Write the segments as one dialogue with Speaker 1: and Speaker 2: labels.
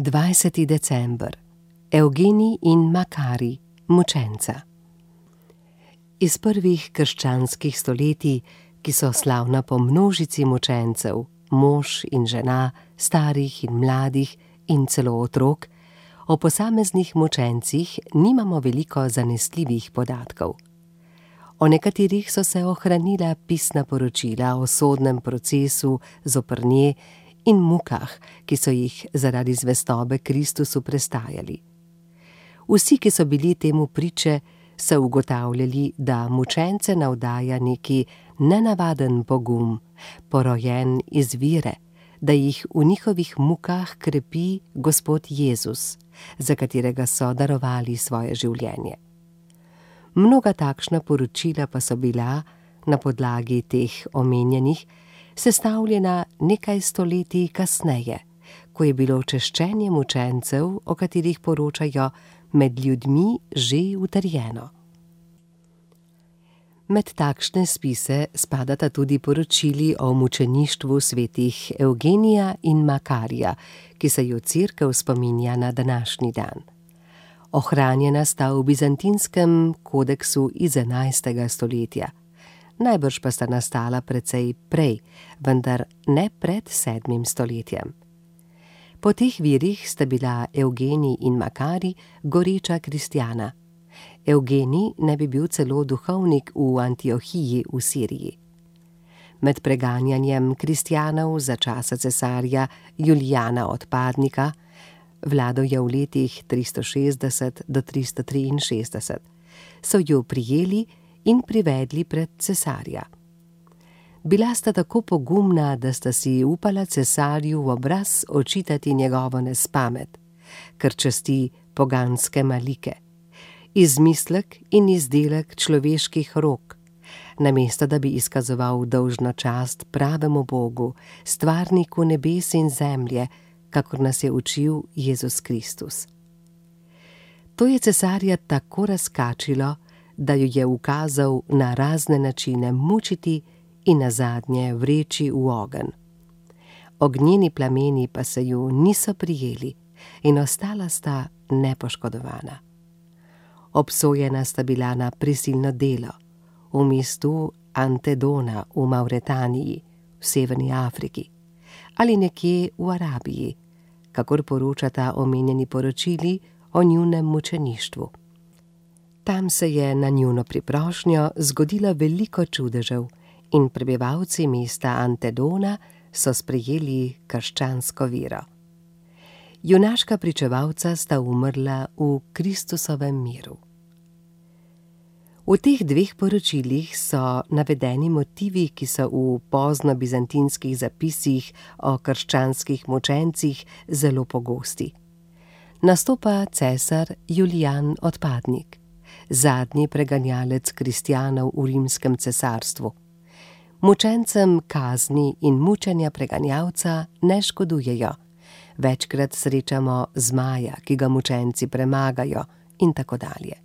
Speaker 1: 20. december. Evgenij in Makari, mučenca. Iz prvih krščanskih stoletij, ki so slavna po množici mučencev, mož in žena, starih in mladih in celo otrok, o posameznih mučencih nimamo veliko zanesljivih podatkov. O nekaterih so se ohranila pisna poročila o sodnem procesu zoper nje in mukah, ki so jih zaradi zvestobe Kristusu prestajali. Vsi, ki so bili temu priče, so ugotavljali, da mučence navdaja neki nenavaden pogum, porojen iz vere, da jih v njihovih mukah krepi Gospod Jezus, za katerega so darovali svoje življenje. Mnoga takšna poročila pa so bila, na podlagi teh omenjenih, sestavljena nekaj stoletij kasneje, ko je bilo češčenje mučencev, o katerih poročajo, med ljudmi že utrjeno. Med takšne spise spadata tudi poročili o mučeništvu svetih Evgenija in Makarija, ki se ju Cerkev spominja na današnji dan. Ohranjena sta v bizantinskem kodeksu iz 11. stoletja. Najbrž pa sta nastala precej prej, vendar ne pred 7. stoletjem. Po teh virih sta bila Evgenij in Makari goreča kristjana. Evgenij ne bi bil celo duhovnik v Antiohiji v Siriji. Med preganjanjem kristjanov za časa cesarja Julijana Odpadnika, vladal je v letih 360 do 363, so jo prijeli in privedli pred cesarja. Bila sta tako pogumna, da sta si upala cesarju v obraz očitati njegovo nespamet, ker časti poganske malike, izmislek in izdelek človeških rok, namesto da bi izkazoval dolžno čast pravemu Bogu, stvarniku nebes in zemlje, kakor nas je učil Jezus Kristus. To je cesarja tako razkačilo, da jo je ukazal na razne načine mučiti in nazadnje vreči v ogenj. Ognjeni plameni pa se ju niso prijeli in ostala sta nepoškodovana. Obsojena sta bila na prisilno delo v mestu Antedona v Mavretaniji, v Severni Afriki, ali nekje v Arabiji, kakor poročata omenjeni poročili o njunem mučeništvu. Tam se je na njuno priprošnjo zgodilo veliko čudežev in prebivalci mesta Antedona so sprejeli krščansko vero. Junaška pričevalca sta umrla v Kristusovem miru. V teh dveh poročilih so navedeni motivi, ki so v pozno-bizantinskih zapisih o krščanskih mučencih zelo pogosti. Nastopa cesar Julijan Odpadnik, zadnji preganjalec kristjanov v rimskem cesarstvu. Mučencem kazni in mučenja preganjalca ne škodujejo. Večkrat srečamo zmaja, ki ga mučenci premagajo in tako dalje.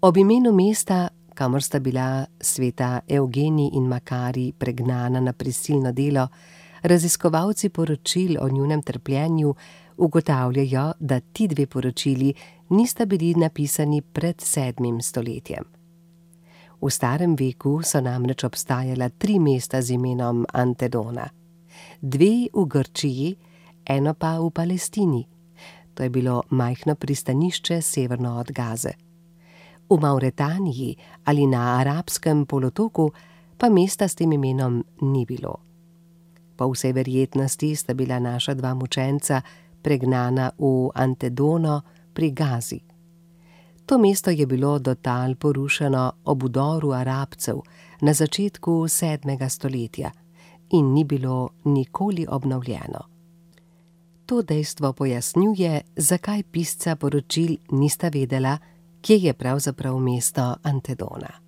Speaker 1: Ob imenu mesta, kamor sta bila sveta Evgenij in Makari pregnana na prisilno delo, raziskovalci poročil o njunem trpljenju ugotavljajo, da ti dve poročili nista bili napisani pred 7. stoletjem. V starem veku so namreč obstajala 3 mesta z imenom Antedona. 2 v Grčiji, eno pa v Palestini. To je bilo majhno pristanišče severno od Gaze. V Mavretaniji ali na arabskem polotoku pa mesta s tem imenom ni bilo. Po vsej verjetnosti sta bila naša 2 mučenca pregnana v Antedono pri Gazi. To mesto je bilo do tal porušeno ob vdoru Arabcev na začetku 7. stoletja in ni bilo nikoli obnovljeno. To dejstvo pojasnjuje, zakaj pisca poročil nista vedela, kje je pravzaprav mesto Antedona.